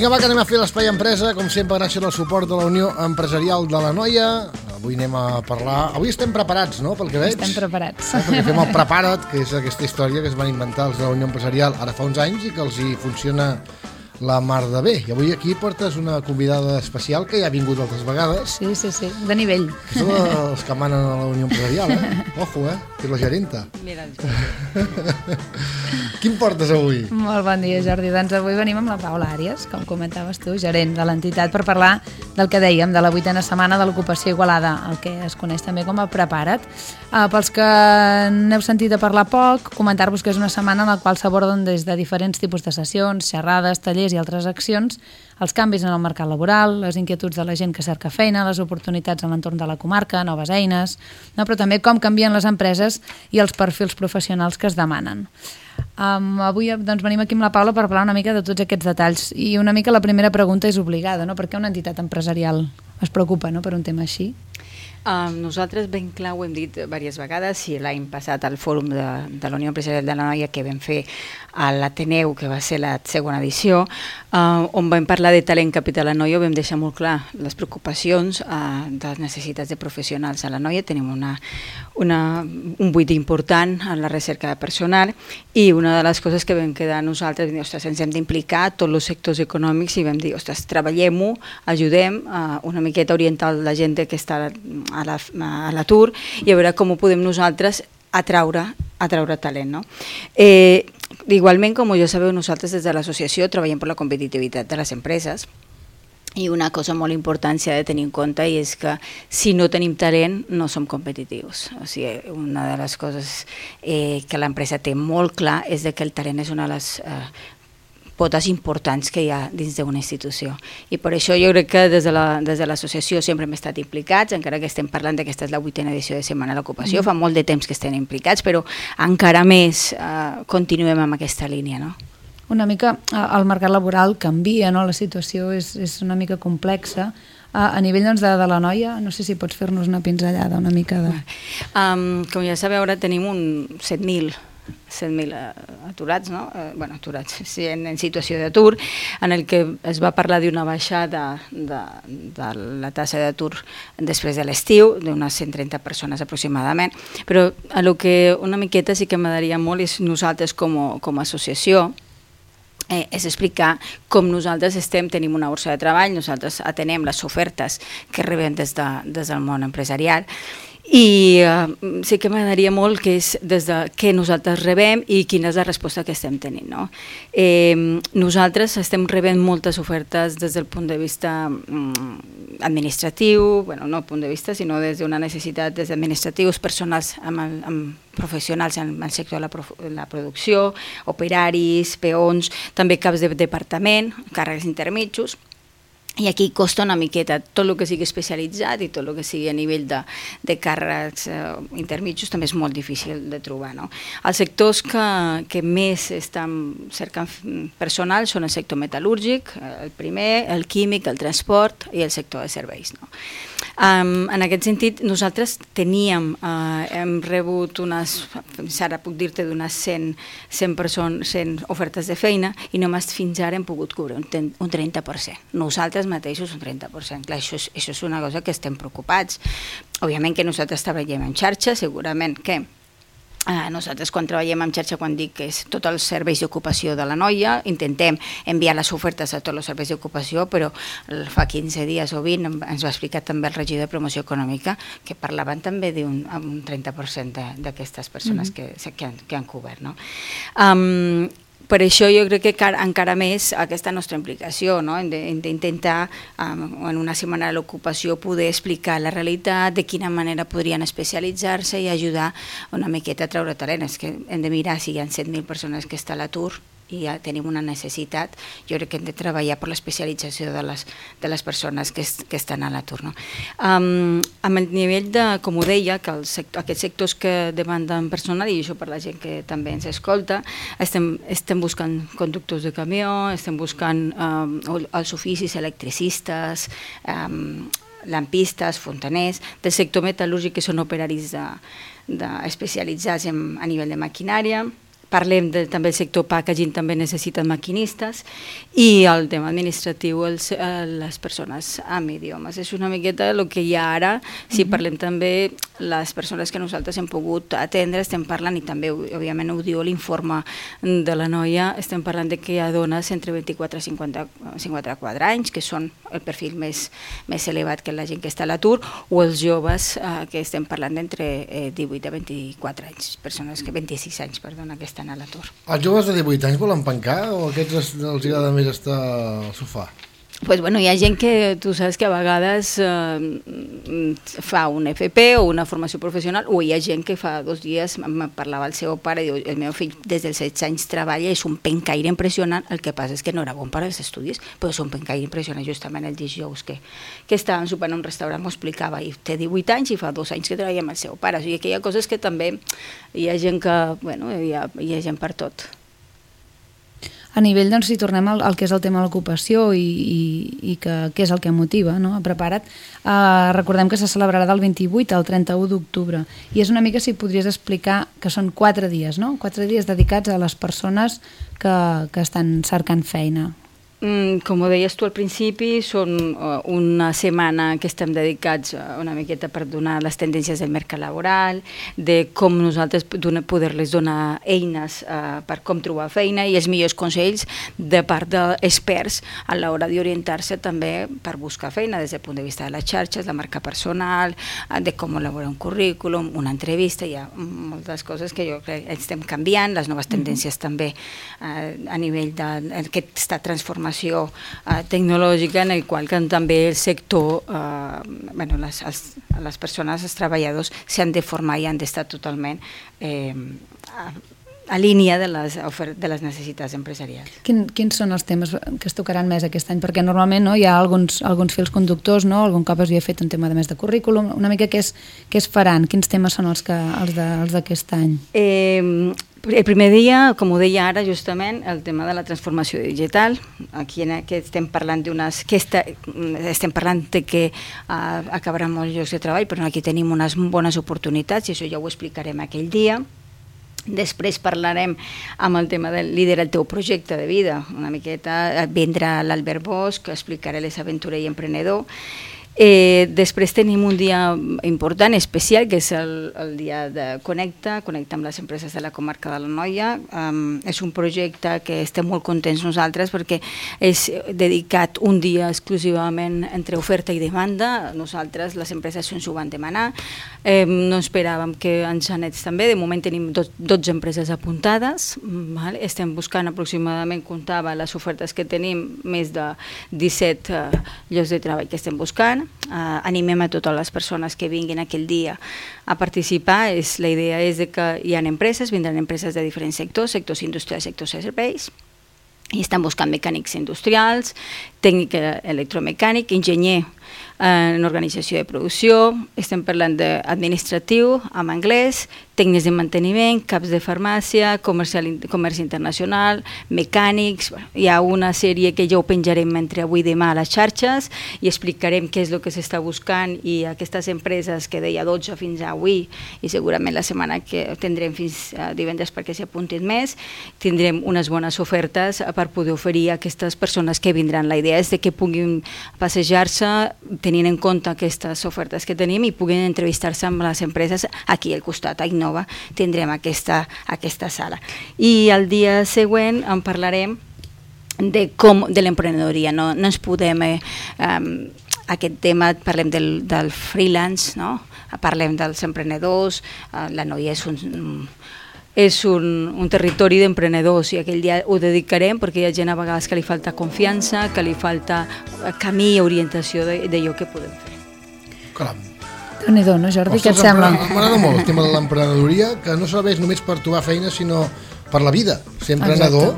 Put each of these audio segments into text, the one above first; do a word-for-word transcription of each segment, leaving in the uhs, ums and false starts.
Vinga, va, que anem a fer l'Espai Empresa, com sempre, gràcies al suport de la Unió Empresarial de l'Anoia. Avui anem a parlar... Avui estem preparats, no?, pel que veig. Estem preparats. Eh, perquè fem el Prepara't, que és aquesta història que es van inventar els de la Unió Empresarial ara fa uns anys i que els hi funciona la mar de bé. I avui aquí portes una convidada especial que ja ha vingut altres vegades. Sí, sí, sí, de nivell. Que són els que manen a la Unió Empresarial, eh? Ojo, eh? Que és la gerenta. Mira, Quin portes avui? Molt bon dia, Jordi. Doncs avui venim amb la Paula Àries, com comentaves tu, gerent de l'entitat, per parlar del que dèiem, de la vuitena setmana de l'ocupació Igualada, el que es coneix també com a Prepara't. Uh, pels que n'heu sentit a parlar poc, comentar-vos que és una setmana en la qual s'aborden des de diferents tipus de sessions, xerrades, tallers i altres accions, els canvis en el mercat laboral, les inquietuds de la gent que cerca feina, les oportunitats en l'entorn de la comarca, noves eines, no? Però també com canvien les empreses i els perfils professionals que es demanen. Um, avui doncs, venim aquí amb la Paula per parlar una mica de tots aquests detalls i una mica la primera pregunta és obligada, no? Per què una entitat empresarial es preocupa, no?, per un tema així? Uh, nosaltres ben clar ho hem dit diverses vegades i l'any passat al fòrum de, de la Unió Empresarial de l'Anoia que vam fer a l'Ateneu, que va ser la segona edició, uh, on vam parlar de talent capital a l'Anoia, vam deixar molt clar les preocupacions uh, de les necessitats de professionals a l'Anoia. Tenim una, una, un buit important en la recerca de personal i una de les coses que vam quedar nosaltres, vam dir, ostres, ens hem d'implicar tots els sectors econòmics i vam dir, ostres, treballem-ho, ajudem uh, una miqueta a orientar la gent que està a la, a l'atur i a veure com ho podem nosaltres atraure, atraure talent, no? Eh, igualment, com ja sabeu, nosaltres des de l'associació treballem per la competitivitat de les empreses i una cosa molt important s'ha de tenir en compte i és que si no tenim talent no som competitius. O sigui, una de les coses eh, que l'empresa té molt clar és de que el talent és una de les eh, potes importants que hi ha dins d'una institució. I per això jo crec que des de la, des de l'associació sempre hem estat implicats, encara que estem parlant que aquesta és la vuitena edició de Setmana de l'Ocupació, mm. fa molt de temps que estem implicats, però encara més eh, continuem amb aquesta línia, no? Una mica el mercat laboral canvia, no? La situació és, és una mica complexa. A, a nivell doncs, de, de l'Anoia, no sé si pots fer-nos una pinzellada una mica de... Um, com ja sabeu, ara tenim un set mil set mil aturats, no? Eh, bueno, aturats, sí, en, en situació d'atur, en el que es va parlar d'una baixada de, de la tassa d'atur després de l'estiu, d'unes cent trenta persones aproximadament, però a lo que una miqueta sí que m'agradaria molt és nosaltres com a, com a associació, Eh, és explicar com nosaltres estem, tenim una borsa de treball, nosaltres atenem les ofertes que rebem des, de, des del món empresarial i uh, sí que m'agradaria molt que és des de què nosaltres rebem i quina és la resposta que estem tenint, no? Eh, nosaltres estem rebent moltes ofertes des del punt de vista um, administratiu, bueno, no punt de vista, sinó des d'una necessitat des administratius, personals amb, el, amb professionals en el sector de la, prof, la producció, operaris, peons, també caps de departament, càrrecs intermitjos. I aquí costa una miqueta tot el que sigui especialitzat i tot el que sigui a nivell de, de càrrecs eh, intermitjos també és molt difícil de trobar, no? Els sectors que, que més estan cercant personal són el sector metal·lúrgic, el primer, el químic, el transport i el sector de serveis, no? Um, en aquest sentit, nosaltres teníem, uh, hem rebut unes, ara puc dir-te d'unes cent, cent, persones, cent ofertes de feina i només fins ara hem pogut cobrir un, un trenta per cent. Nosaltres mateixos un trenta per cent. Clar, això és, això és una cosa que estem preocupats. Òbviament que nosaltres treballem en xarxa, segurament que Uh, nosaltres quan treballem en xarxa, quan dic que és tots els serveis d'ocupació de l'Anoia, intentem enviar les ofertes a tots els serveis d'ocupació, però fa quinze dies o vint ens va explicar també el regidor de promoció econòmica que parlaven també d'un un trenta per cent d'aquestes persones mm-hmm. que, que, han, que han cobert, no? Um, Per això jo crec que encara més aquesta nostra implicació, no? D'intentar um, en una setmana de l'ocupació poder explicar la realitat, de quina manera podrien especialitzar-se i ajudar una miqueta a treure talent. És que hem de mirar si hi ha set mil persones que estan a l'atur i ja tenim una necessitat, jo crec que hem de treballar per l'especialització de les, de les persones que, es, que estan a l'atur, no? Um, amb el nivell de, com ho deia, que el sector, aquests sectors que demanden personal, i això per la gent que també ens escolta, estem, estem buscant conductors de camió, estem buscant um, els oficis electricistes, um, lampistes, fontaners, del sector metal·lúrgic, que són operaris de, de especialitzats en, a nivell de maquinària, parlem de, també el sector packaging, també necessiten maquinistes, i el tema administratiu, els, eh, les persones amb idiomes. És una miqueta el que hi ha ara. Si uh-huh. parlem també, les persones que nosaltres hem pogut atendre, estem parlant, i també òbviament ho diu l'informe de la noia, estem parlant de que hi ha dones entre vint-i-quatre i cinquanta-quatre anys, que són el perfil més, més elevat que la gent que està a l'atur, o els joves, eh, que estem parlant d'entre eh, divuit a vint-i-quatre anys, persones que vint-i-sis anys, perdona, que estan a l'atur. Els joves de divuit anys volen pencar o aquests els agrada més estar al sofà? Pues bueno, hi ha gent que tu saps que a vegades eh, fa un F P o una formació professional, o hi ha gent que fa dos dies em parlava el seu pare i diu, el meu fill des dels setze anys treballa, és un pencaire impressionant, el que passa és que no era bon per als estudis, però és un pencaire impressionant. Justament el dijous que, que estàvem sopant en un restaurant m'ho explicava, i té divuit anys i fa dos anys que treballa amb el seu pare. O sigui que hi ha coses que també hi ha gent que, bueno, hi ha, hi ha gent per tot. A nivell, doncs, si tornem al, al que és el tema de l'ocupació i, i, i que, què és el que motiva, no? Prepara't, eh, recordem que se celebrarà del vint-i-vuit al trenta-u d'octubre, i és una mica si podries explicar que són quatre dies, no? Quatre dies dedicats a les persones que, que estan cercant feina. Mm, com ho deies tu al principi, són uh, una setmana que estem dedicats uh, una miqueta per donar les tendències del mercat laboral, de com nosaltres poder-les donar eines uh, per com trobar feina i els millors consells de part d'experts a l'hora d'orientar-se també per buscar feina des del punt de vista de les xarxes, la marca personal, uh, de com elaborar un currículum, una entrevista. Hi ha moltes coses que jo crec que estem canviant, les noves tendències mm-hmm. també uh, a nivell d'aquesta transformació Uh, tecnològica en el qual que també el sector, uh, bueno, les, els, les persones, els treballadors s'han de formar i han d'estar totalment eh, a, a línia de les, de les necessitats empresarials. Quin, quins són els temes que es tocaran més aquest any? Perquè normalment no, hi ha alguns, alguns fils conductors, no? Algun cop es havia fet un tema de més de currículum, una mica què es, què es faran? Quins temes són els, que, els, de, els d'aquest any? Eh, El primer dia, com ho deia ara, justament, el tema de la transformació digital. Aquí en aquest estem parlant d'unes... Que esta, estem parlant de que uh, acabaran molts llocs de treball, però aquí tenim unes bones oportunitats i això ja ho explicarem aquell dia. Després parlarem amb el tema del liderar el teu projecte de vida. Una miqueta vindrà l'Albert Bosch, que explicarà les aventurer i emprenedor. Eh, després tenim un dia important, especial, que és el, el dia de Connecta, Connecta amb les empreses de la comarca de l'Anoia. Um, és un projecte que estem molt contents nosaltres perquè és dedicat un dia exclusivament entre oferta i demanda. Nosaltres, les empreses ens ho van demanar. Eh, no esperàvem que ens anés també. De moment tenim dotze empreses apuntades. Vale? Estem buscant aproximadament, comptava les ofertes que tenim, més de disset uh, llocs de treball que estem buscant. Uh, animem a totes les persones que vinguin aquell dia a participar. És, la idea és de que hi ha empreses, vindran empreses de diferents sectors, sectors industrials, sectors serveis, i estan buscant mecànics industrials, tècnic electromecànic, enginyer en organització de producció, estem parlant d'administratiu, amb anglès, tècnics de manteniment, caps de farmàcia, comercial, comerç internacional, mecànics. Bueno, hi ha una sèrie que ja ho penjarem entre avui i demà a les xarxes i explicarem què és el que s'està buscant, i aquestes empreses que deia dotze fins a avui, i segurament la setmana que tindrem fins a divendres perquè s'hi apuntin més, tindrem unes bones ofertes per poder oferir a aquestes persones que vindran. La idea és de que puguin passejar-se tenint en compte aquestes ofertes que tenim i puguin entrevistar-se amb les empreses aquí al costat, a Innova, tindrem aquesta, aquesta sala. I el dia següent en parlarem de, com, de l'emprenedoria. No, no ens podem... Eh, um, aquest tema, parlem del, del freelance, no? Parlem dels emprenedors, uh, la noia és un... és un, un territori d'emprenedors i aquell dia ho dedicarem perquè hi ha gent a vegades que li falta confiança, que li falta camí i orientació d'allò que podem fer. Caram. Déu-n'hi-do, no, Jordi? Què et sembla? M'agrada molt el tema de l'emprenedoria, que no serveix només per trobar feina, sinó per la vida. Ser emprenedor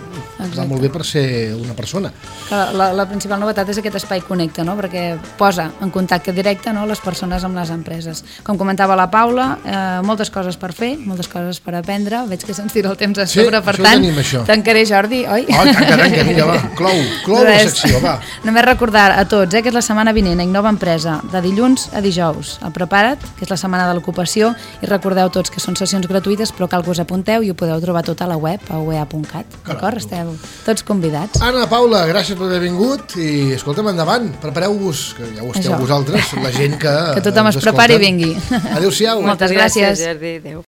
va molt bé per ser una persona. La, la, la principal novetat és aquest espai Connecta, no? Perquè posa en contacte directe, no?, les persones amb les empreses. Com comentava la Paula, eh, moltes coses per fer, moltes coses per aprendre, veig que se'ns tira el temps a sobre, sí, per tant, tenim, tancaré, Jordi, oi? Oh, tanca, tanca, vinga, va, clou, clou la secció, va. Només recordar a tots eh, que és la setmana vinent a Innova Empresa, de dilluns a dijous. El Prepara't, que és la setmana de l'ocupació, i recordeu tots que són sessions gratuïtes, però cal que us apunteu i ho podeu trobar tot a la web, a u e a punt cat, d'acord? Esteu tots convidats. Anna, Paula, gràcies per haver vingut i escolta'm, endavant, prepareu-vos, que ja ho esteu Això. vosaltres, la gent que... Que tothom es prepari i vingui. Adéu-siau. Moltes gràcies. Gràcies, Jordi, adéu.